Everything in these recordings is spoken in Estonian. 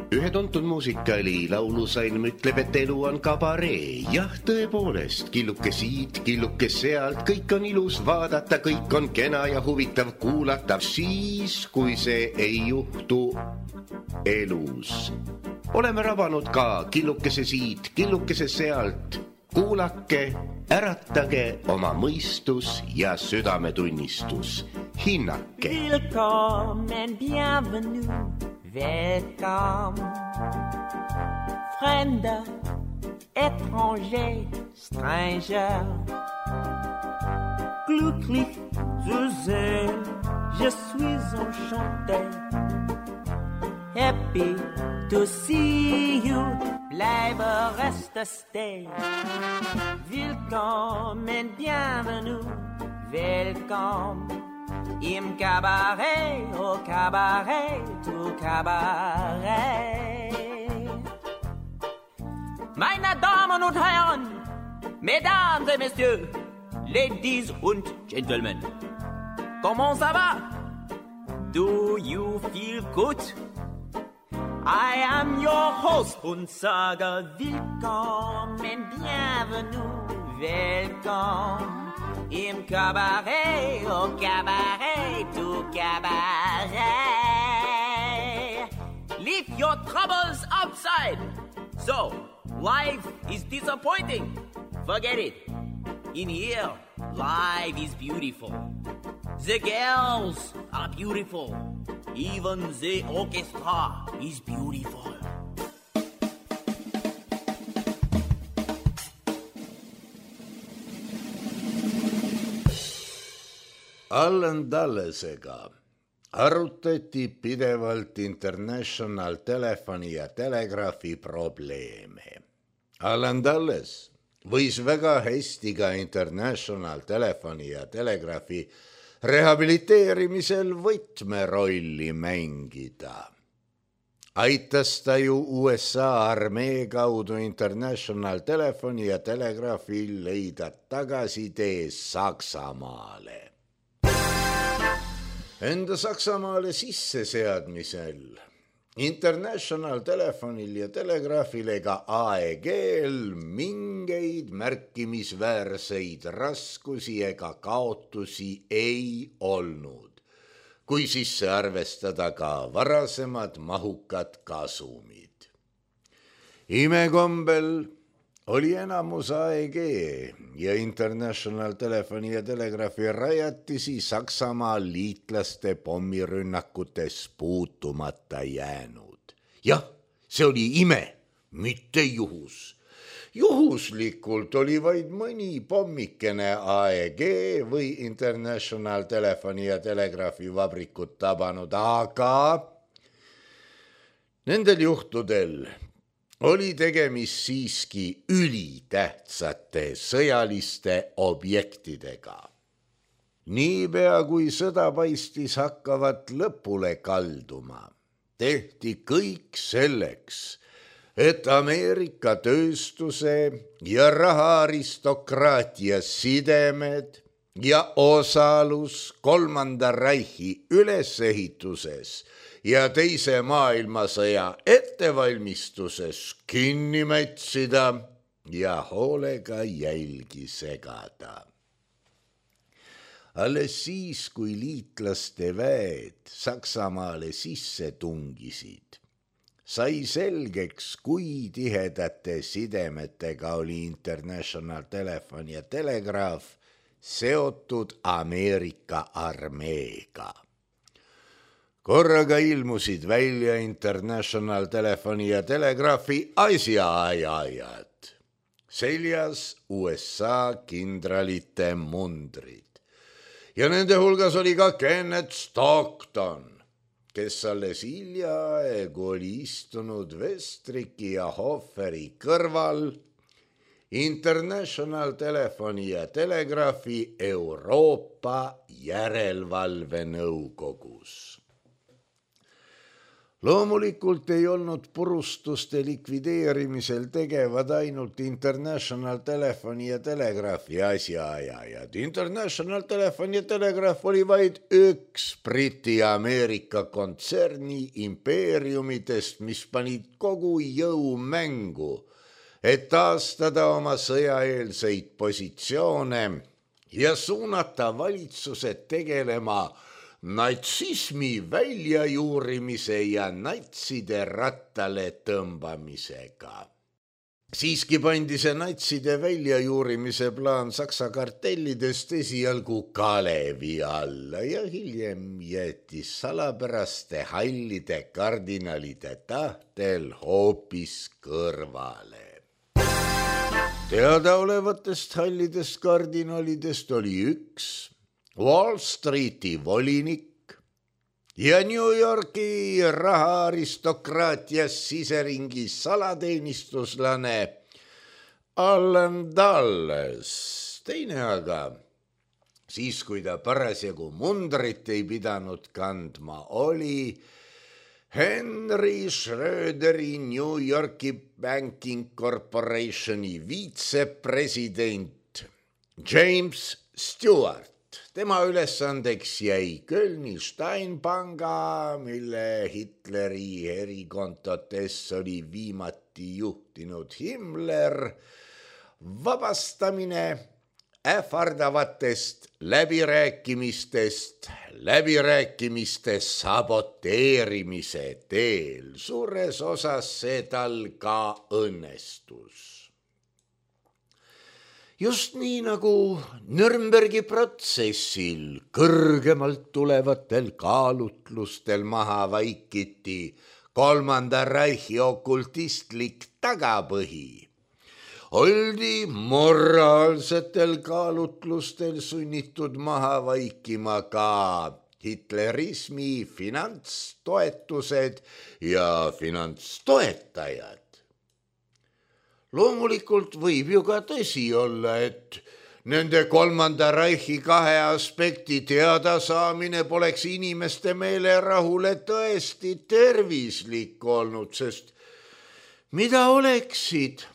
Ühe tuntud muusikaali laulusalm ütleb, et elu on kabaree. Jah, tõepoolest, killuke siit, killuke sealt, kõik on ilus vaadata, kõik on kena ja huvitav kuulata, siis kui see ei juhtu elus. Oleme rabanud ka killukese siit, killukese sealt. Kuulake, äratage oma mõistus ja südametunnistus. Hinnake. Willkommen, bienvenue, welcome. Fremder, étranger, stranger. Glücklich zu sehen, je suis enchanté. Happy to see you, bleibe reste stay. Willkommen, bienvenue, welcome. Im Cabaret, au Cabaret, au Cabaret. Meine Damen und Herren, Mesdames et Messieurs, Ladies und Gentlemen, comment ça va? Do you feel good? I am your host und sage willkommen, bienvenue, welcome. Im Cabaret, au Cabaret, au Cabaret. Leave your troubles outside. So, life is disappointing. Forget it. In here, life is beautiful. The girls are beautiful. Even the orchestra is beautiful. Allan Dullesega arutati pidevalt International Telefoni ja Telegraafi probleeme. Allan Dulles võis väga hästi ka International Telefoni ja Telegraafi rehabiliteerimisel võtmerolli mängida. Aitas ta ju USA armee kaudu International Telefoni ja Telegraafi leida tagasitee Saksamaale. Enda Saksamaale sisseseadmisel International Telefonil ja Telegraafil ega AEG-l mingeid märkimisväärseid raskusi ega kaotusi ei olnud, kui sisse arvestada ka varasemad mahukad kasumid. Imekombel oli enamus AEG ja International Telefoni ja Telegraafi rajatisi Saksamaa liitlaste pommirünnakutes puutumata jäänud. Jah, see oli ime, mitte juhus. Juhuslikult oli vaid mõni pommikene AEG või International Telefoni ja Telegraafi vabrikut tabanud, aga nendel juhtudel oli tegemist siiski ülitähtsate sõjaliste objektidega. Niipea kui sõda paistis hakkavat lõpule kalduma, tehti kõik selleks, et Ameerika tööstuse ja rahaaristokraatia sidemed ja osalus Kolmanda Reichi ülesehituses ja Teise maailmasõja ettevalmistuses kinni mätsida ja hoolega jälgi segada. Alles siis, kui liitlaste väed Saksamaale sisse tungisid, sai selgeks, kui tihedate sidemetega oli International Telefon ja Telegraaf seotud Ameerika armeega. Korraga ilmusid välja International Telefoni ja Telegraafi asjaajajad. Seljas USA kindralite mundrid. Ja nende hulgas oli ka Kenneth Stockton, kes alles hiljaaegu oli istunud Westricki ja Hofferi kõrval International Telefoni ja Telegraafi Euroopa järelevalvenõukogus. Loomulikult ei olnud purustuste likvideerimisel tegevad ainult International Telefoni ja Telegraafi asjaajajad. International Telefon ja Telegraaf oli vaid üks Briti-Ameerika kontserni impeeriumidest, mis panid kogu jõu mängu, et taastada oma sõjaeelseid positsioone ja suunata valitsused tegelema natsismi väljajuurimise ja natside rattale tõmbamisega. Siiski pandi see natside väljajuurimise plaan Saksa kartellidest esialgu kalevi alla ja hiljem jäeti salapäraste hallide kardinalide tahtel hoopis kõrvale. Teadaolevatest hallidest kardinalidest oli üks Wall Streeti volinik ja New Yorki rahaaristokraatias siseringi salateenistuslane Allen Dulles. Teine aga, siis kui ta parasjagu mundrit ei pidanud kandma, oli Henry Schröderi New Yorki Banking Corporationi viitsepresident James Stewart. Tema ülesandeks jäi Kölni Steinpanga, mille Hitleri erikontotes oli viimati juhtinud Himmler, vabastamine ähvardavatest läbirääkimiste saboteerimise teel. Suures osas see tal ka õnnestus. Just nii nagu Nürnbergi protsessil kõrgemalt tulevatel kaalutlustel maha vaikiti Kolmanda Reichi okultistlik tagapõhi, oldi moraalsetel kaalutlustel sunnitud maha vaikima ka hitlerismi finantstoetused ja finantstoetajad. Loomulikult võib ju ka tõsi olla, et nende Kolmanda Reichi kahe aspekti teadasaamine poleks inimeste meelerahule tõesti tervislik olnud, sest mida oleksid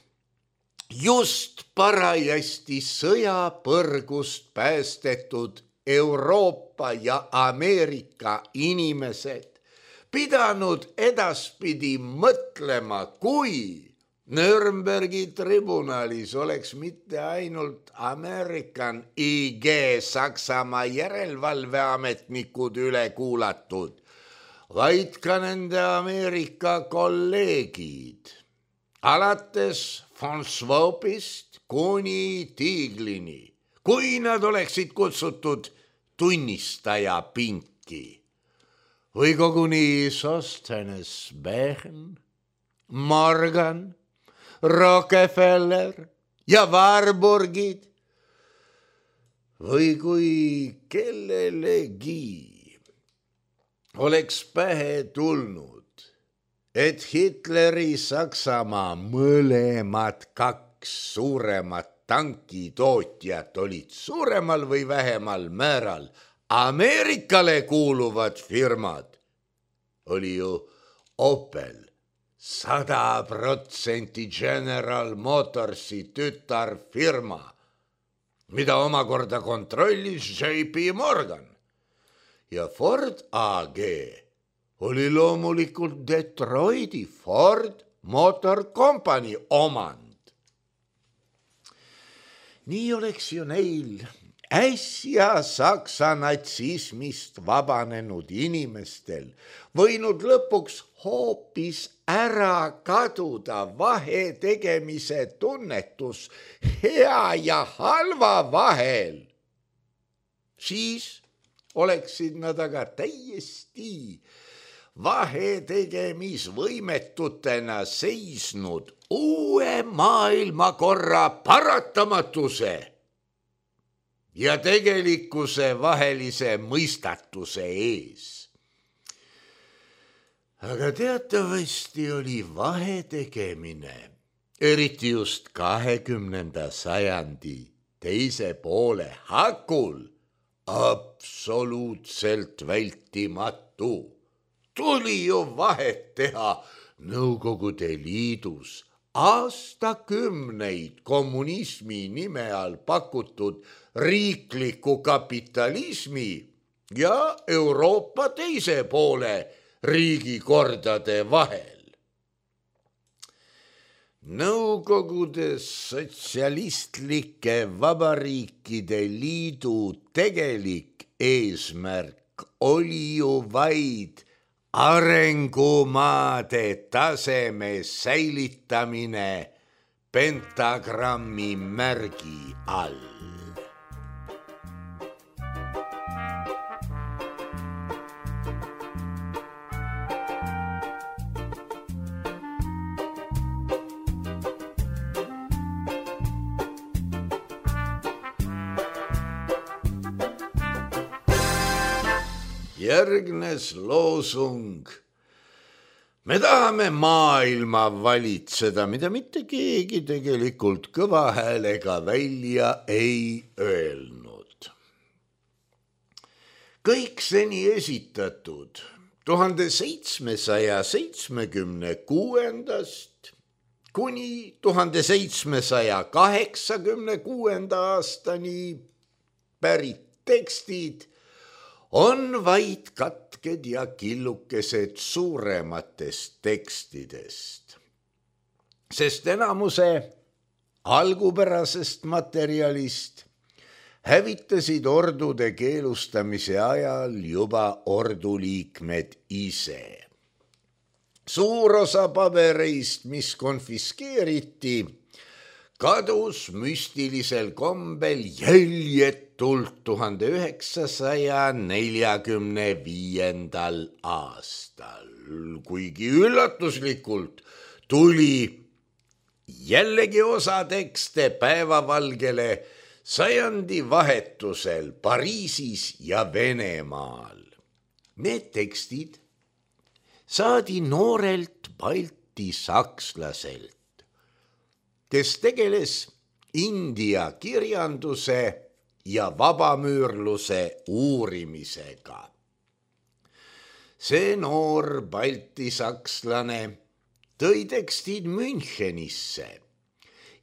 just parajasti sõjapõrgust päästetud Euroopa ja Ameerika inimesed pidanud edaspidi mõtlema, kui Nürnbergi tribunalis oleks mitte ainult American IG Saksamaa järelevalveametnikud üle kuulatud, vaid ka nende Ameerika kolleegid, alates von Schwabist kuni Tieglini, kui nad oleksid kutsutud tunnistaja pinki või koguni Sosthenes, Bechen, Morgan, Rockefeller ja Warburgid või kui kellelegi oleks pähe tulnud, et Hitleri Saksamaa mõlemad kaks suuremat tankitootjat olid suuremal või vähemal määral Ameerikale kuuluvad firmad, oli ju Opel 100% General Motorsi tütarfirma, mida omakorda kontrollis JP Morgan, ja Ford AG oli loomulikult Detroiti Ford Motor Company omand. Nii oleks ju neil äsja Saksa natsismist vabanenud inimestel võinud lõpuks hoopis ära kaduda vahetegemise tunnetus hea ja halva vahel. Siis oleksid nad aga täiesti vahetegemisvõimetutena seisnud uue maailmakorra paratamatuse ja tegelikkuse vahelise mõistatuse ees. Aga teatavasti oli vahetegemine, eriti just 20. sajandi teise poole hakul, absoluutselt vältimatu. tuli ju vahet teha Nõukogude Liidus aastakümneid kommunismi nime all pakutud riikliku kapitalismi ja Euroopa teise poole riigikordade vahel. Nõukogude sotsialistlike vabariikide liidu tegelik eesmärk oli ju vaid arengumaade taseme säilitamine pentagrammi märgi all. Järgnes loosung. Me tahame maailma valitseda, mida mitte keegi tegelikult kõva häälega välja ei öelnud. Kõik seni esitatud 1776 kuni 1786 aastani pärit tekstid on vaid katked ja killukesed suurematest tekstidest, sest enamuse algupärasest materjalist hävitasid ordude keelustamise ajal juba orduliikmed ise. Suur osa pabereist, mis konfiskeeriti, kadus müstilisel kombel jäljetult 1945. aastal, kuigi üllatuslikult tuli jällegi osa tekste päevavalgele sajandi vahetusel Pariisis ja Venemaal. Need tekstid saadi noorelt balti sakslaselt, kes tegeles India kirjanduse ja vabamüürluse uurimisega. See noor balti sakslane tõi tekstid Münchenisse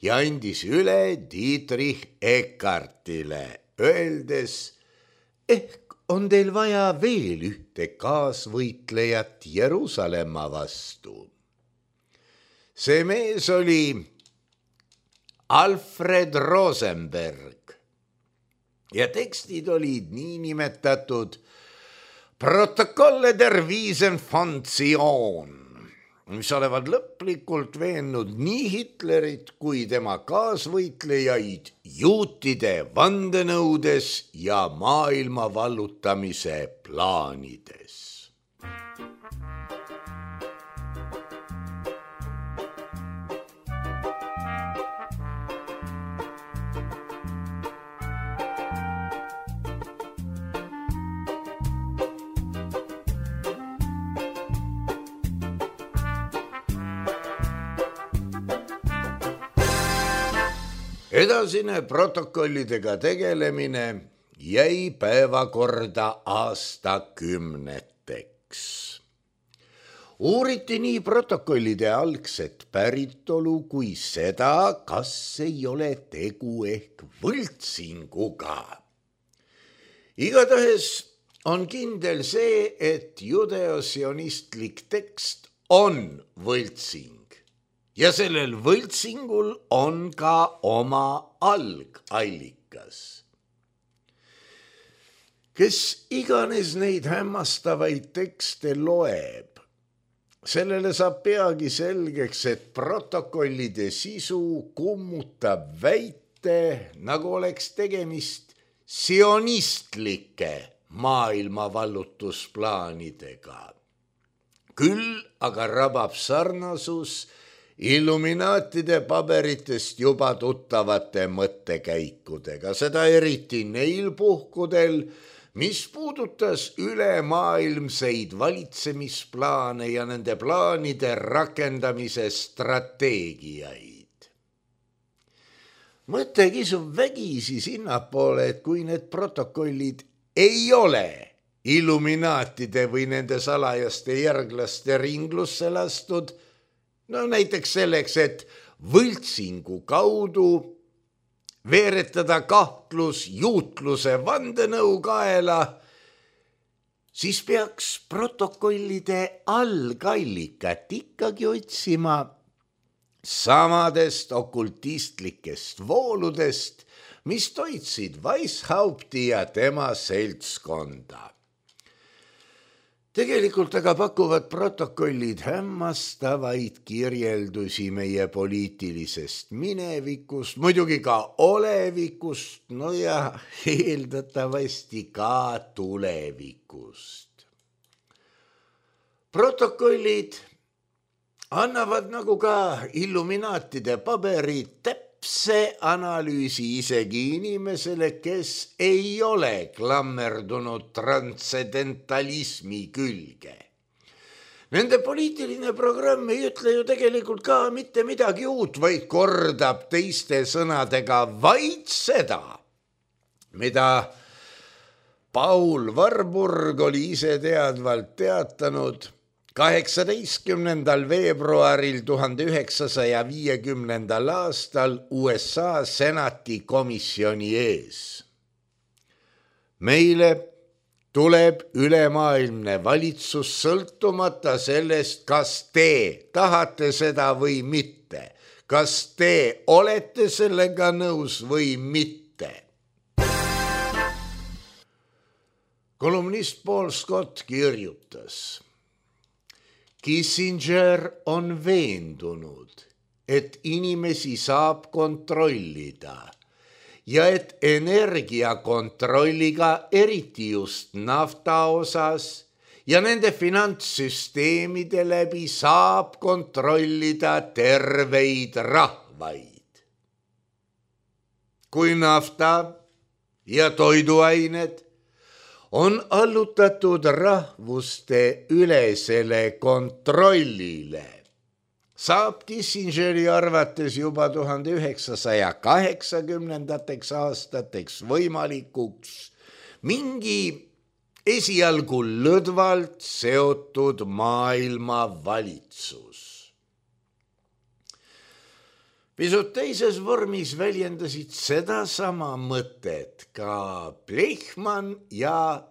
ja andis üle Dietrich Eckartile, öeldes, ehk on teil vaja veel ühte kaasvõitlejat Jeruusalemma vastu. See mees oli Alfred Rosenberg ja tekstid olid niinimetatud Protokolle der Wiesen von Zion, mis olevat lõplikult veennud nii Hitlerit kui tema kaasvõitlejaid juutide vandenõudes ja maailma vallutamise plaanides. Edasine protokollidega tegelemine jäi päevakorda aastakümneteks. Uuriti nii protokollide algset päritolu kui seda, kas ei ole tegu ehk võltsinguga. Igatahes on kindel see, et judeosionistlik tekst on võltsing. Ja sellel võltsingul on ka oma algallikas. Kes iganes neid hämmastavaid tekste loeb, sellele saab peagi selgeks, et protokollide sisu kummutab väite, nagu oleks tegemist sionistlike maailmavallutusplaanidega. Küll aga rabab sarnasus Illuminaatide paberitest juba tuttavate mõttekäikudega, seda eriti neil puhkudel, mis puudutas ülemaailmseid valitsemisplaane ja nende plaanide rakendamise strateegiaid. Mõte kisub vägisi sinnapoole, et kui need protokollid ei ole illuminaatide või nende salajaste järglaste ringlusse lastud, no näiteks selleks, et võltsingu kaudu veeretada kahtlus juutluse vandenõu kaela, siis peaks protokollide algallikat ikkagi otsima samadest okultistlikest vooludest, mis toitsid Weishaupti ja tema seltskonda. Tegelikult aga pakuvad protokollid hämmastavaid kirjeldusi meie poliitilisest minevikust, muidugi ka olevikust, no ja eeldatavasti ka tulevikust. Protokollid annavad nagu ka illuminaatide paberid täpse analüüsi isegi inimesele, kes ei ole klammerdunud transcendentalismi külge. Nende poliitiline programm ei ütle ju tegelikult ka mitte midagi uut, vaid kordab teiste sõnadega vaid seda, mida Paul Warburg oli ise teadvalt teatanud 18. veebruaril 1950. aastal USA senati komisjoni ees. Meile tuleb ülemaailmne valitsus sõltumata sellest, kas te tahate seda või mitte, kas te olete sellega nõus või mitte. Kolumnist Paul Scott kirjutas: Kissinger on veendunud, et inimesi saab kontrollida ja et energiakontrolliga, eriti just nafta osas ja nende finantssüsteemide läbi saab kontrollida terveid rahvaid. Kui nafta ja toiduained on allutatud rahvuste ülesele kontrollile, saab Kissingeri arvates juba 1980. aastateks võimalikuks mingi esialgu lõdvalt seotud maailmavalitsus. Pisut teises vormis väljendasid sedasama mõtet ka Blechmann ja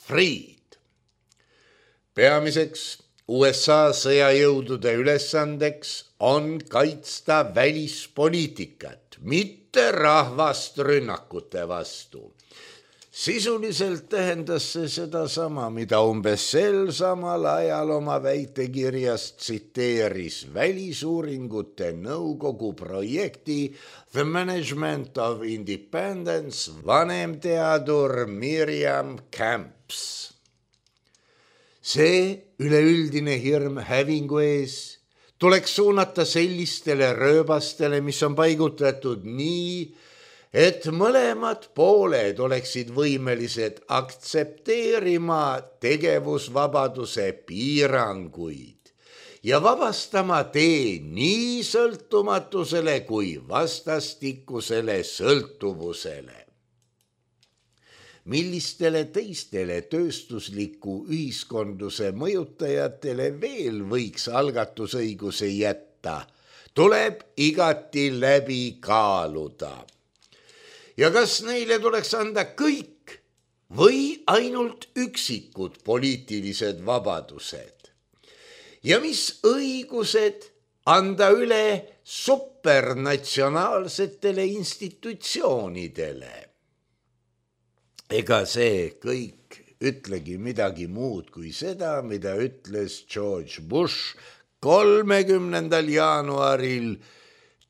Fried. Peamiseks USA sõjajõudude ülesandeks on kaitsta välispoliitikat, mitte rahvast rünnakute vastu. Sisuliselt tähendas see sedasama, mida umbes sel samal ajal oma väitekirjas tsiteeris Välisuuringute Nõukogu projekti The Management of Independence vanemteadur Miriam Camps. See üleüldine hirm hävingu ees tuleks suunata sellistele rööbastele, mis on paigutatud nii, et mõlemad pooled oleksid võimelised aktsepteerima tegevusvabaduse piiranguid ja vabastama tee nii sõltumatusele kui vastastikusele sõltuvusele. Millistele teistele tööstusliku ühiskondluse mõjutajatele veel võiks algatusõiguse jätta, tuleb igati läbi kaaluda. Ja kas neile tuleks anda kõik või ainult üksikud poliitilised vabadused? Ja mis õigused anda üle supernatsionaalsetele institutsioonidele? Ega see kõik ütlegi midagi muud kui seda, mida ütles George Bush 30. jaanuaril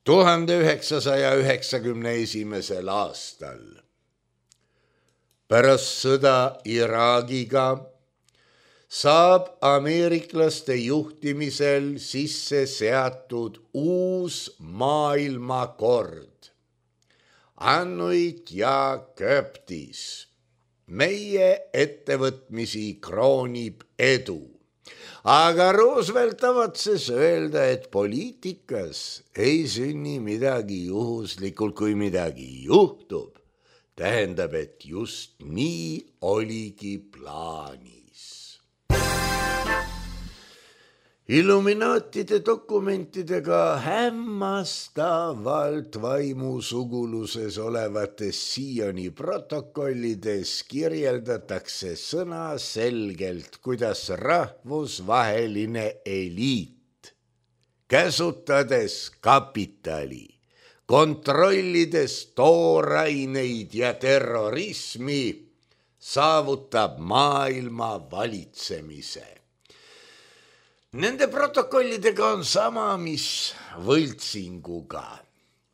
1991. aastal. Pärast sõda Iraagiga saab ameeriklaste juhtimisel sisse seatud uus maailmakord. Annuit ja Köptis. Meie ettevõtmisi kroonib edu. Aga Roosevelt tavatses öelda, et poliitikas ei sünni midagi juhuslikult, kui midagi juhtub. tähendab, et just nii oligi plaanis. Illuminaatide dokumentidega hämmastavalt vaimusuguluses olevates siiani protokollides kirjeldatakse sõnaselgelt, kuidas rahvusvaheline eliit, käsutades kapitali, kontrollides tooraineid ja terrorismi, saavutab maailma valitsemise. Nende protokollidega on sama, mis võltsinguga.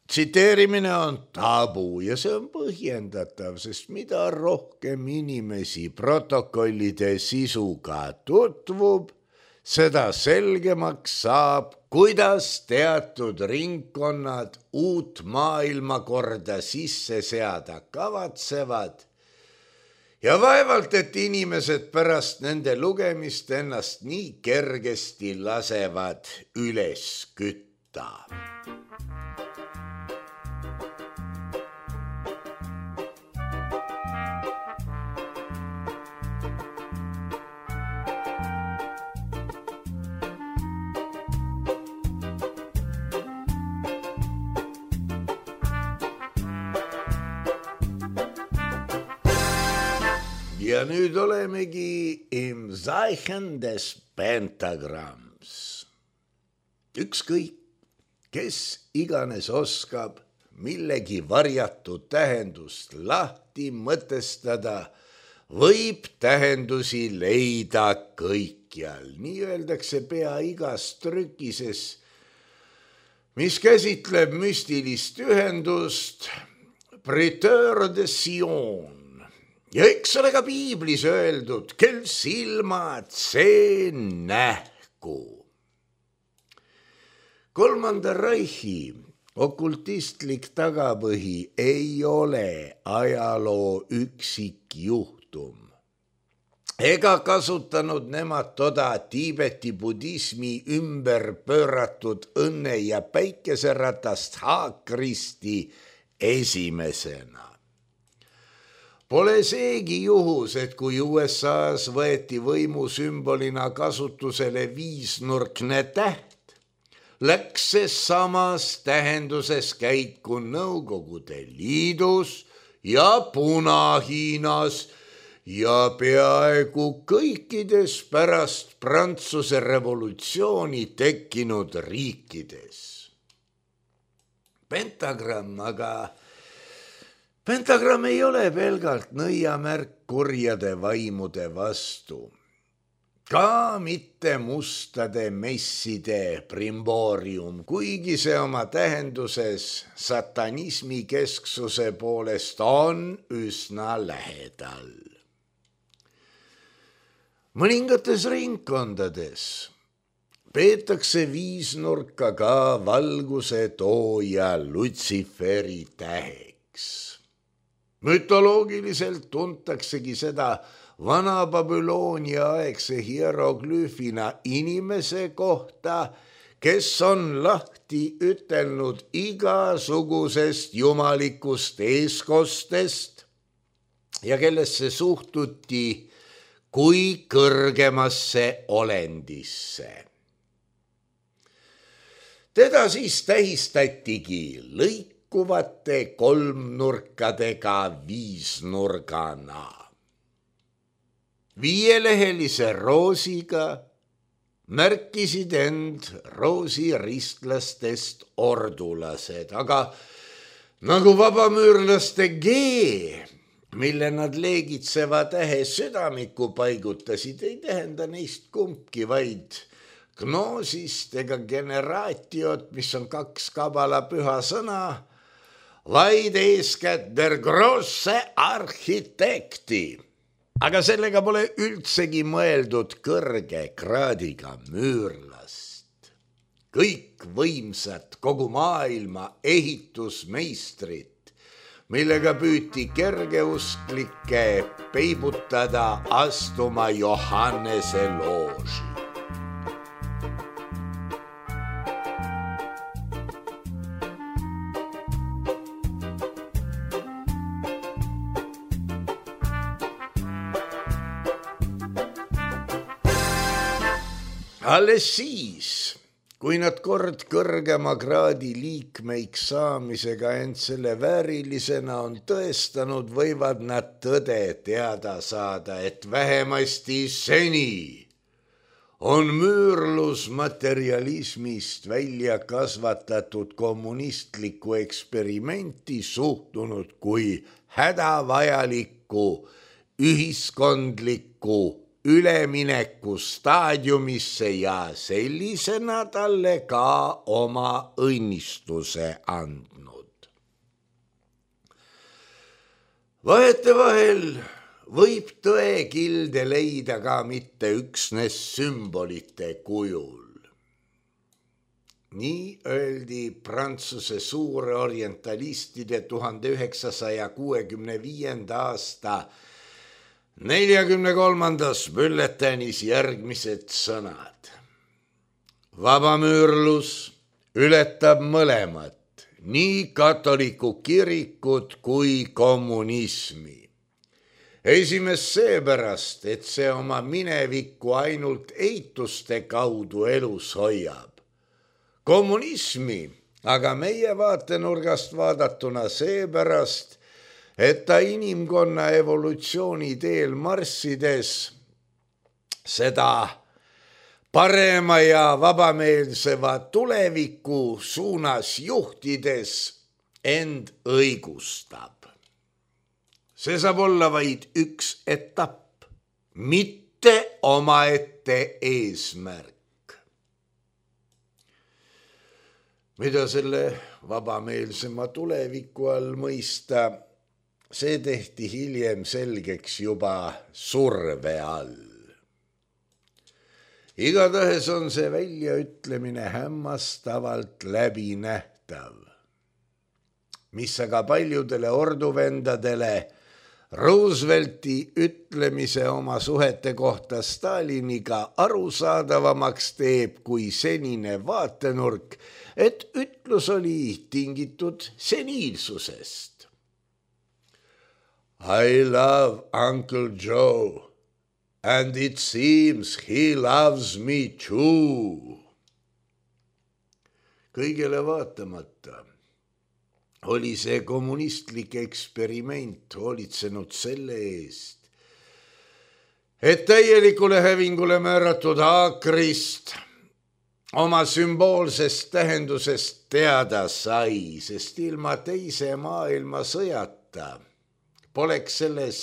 Tsiteerimine on tabu ja see on põhjendatav, sest mida rohkem inimesi protokollide sisuga tutvub, seda selgemaks saab, kuidas teatud ringkonnad uut maailmakorda sisse seada kavatsevad. Ja vaevalt, et inimesed pärast nende lugemist ennast nii kergesti lasevad üles kütta. Ja nüüd olemegi im Zeichen des Pentagramms. Ükskõik, kes iganes oskab millegi varjatud tähendust lahti mõtestada, võib tähendusi leida kõikjal. Nii öeldakse pea igas trükises, mis käsitleb müstilist ühendust, Prêteur de Sion. Ja eks ole ka piiblis öeldud, kel silmad, see nähku. Kolmanda Reichi okultistlik tagapõhi ei ole ajaloo üksikjuhtum. Ega kasutanud nemad toda Tiibeti budismi ümber pööratud õnne ja päikeseratast Haakristi esimesena. Pole seegi juhus, et kui USAs võeti võimusümbolina kasutusele viisnurkne täht, läks see samas tähenduses käiku Nõukogude Liidus ja Puna-Hiinas ja peaaegu kõikides pärast Prantsuse revolutsiooni tekkinud riikides. Pentagramm ei ole pelgalt nõiamärk kurjade vaimude vastu. Ka mitte mustade messide primboorium, kuigi see oma tähenduses satanismi kesksuse poolest on üsna lähedal. Mõningates ringkondades peetakse viisnurka ka valguse tooja Lutsiferi täheks. Mütoloogiliselt tuntaksegi seda Vana-Babyloonia aegse hieroglüüfina inimese kohta, kes on lahti ütelnud igasugusest jumalikust eeskostest ja kellesse suhtuti kui kõrgemasse olendisse. Teda siis tähistatigi lõikuvate kolmnurkadega viisnurgana. Viielehelise roosiga märkisid end roosiristlastest ordulased, aga nagu vabamüürlaste G, mille nad leegitseva tähe südamiku paigutasid, ei tähenda neist kumbki, vaid gnoosist ega generaatiot, mis on kaks kabala püha sõna, vaid eeskätt der grosse arhitekti. Aga sellega pole üldsegi mõeldud kõrge kraadiga müürlast. Kõik võimsad kogu maailma ehitusmeistrid, millega püüti kergeusklikke peibutada astuma Johannese looži. alles siis, kui nad kord kõrgema kraadi liikmeiks saamisega end selle väärilisena on tõestanud, võivad nad tõde teada saada, et vähemasti seni on müürlus materialismist välja kasvatatud kommunistlikku eksperimenti suhtunud kui hädavajalikku ühiskondlikku ülemineku staadiumisse ja sellisena talle ka oma õnnistuse andnud. Vahetevahel võib tõekilde leida ka mitte üksnes sümbolite kujul. Nii öeldi Prantsuse suure orientalistide 1965. aasta 43. bülletäänis järgmised sõnad. Vabamüürlus ületab mõlemat, nii katoliku kirikut kui kommunismi. Esimest seepärast, et see oma minevikku ainult eituste kaudu elus hoiab. Kommunismi aga meie vaatenurgast vaadatuna seepärast, et ta inimkonna evolutsiooni teel marssides seda parema ja vabameelseva tuleviku suunas juhtides end õigustab. See saab olla vaid üks etapp, mitte omaette eesmärk. Mida selle vabameelsema tuleviku all mõista, see tehti hiljem selgeks juba surve all. Igatahes on see väljaütlemine hämmastavalt läbinähtav, mis aga paljudele orduvendadele Roosevelti ütlemise oma suhete kohta Staliniga arusaadavamaks teeb kui senine vaatenurk, et ütlus oli tingitud seniilsusest. I love Uncle Joe and it seems he loves me too. Kõigele vaatamata oli see kommunistlik eksperiment hoolitsenud selle eest, et täielikule hävingule määratud haakrist oma sümboolsest tähendusest teada sai, sest ilma teise maailmasõjata poleks selles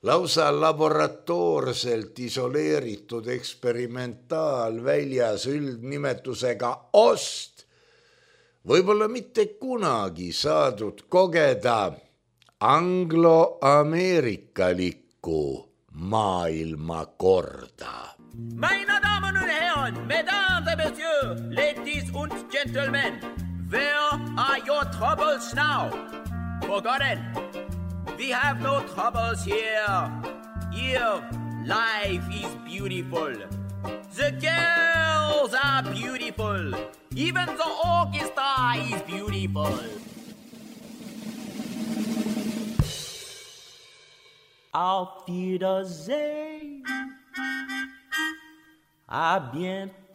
lausa laboratoorselt isoleeritud eksperimentaalväljas üldnimetusega ost võib-olla mitte kunagi saadud kogeda anglo-ameerikalikku maailmakorda. Meine Damen und Herren, Mesdames et Messieurs, Ladies und Gentlemen, where are your troubles now? Forgotten. We have no troubles here. Here, life is beautiful. The girls are beautiful. Even the orchestra is beautiful. Auf Wiedersehen. À bientôt.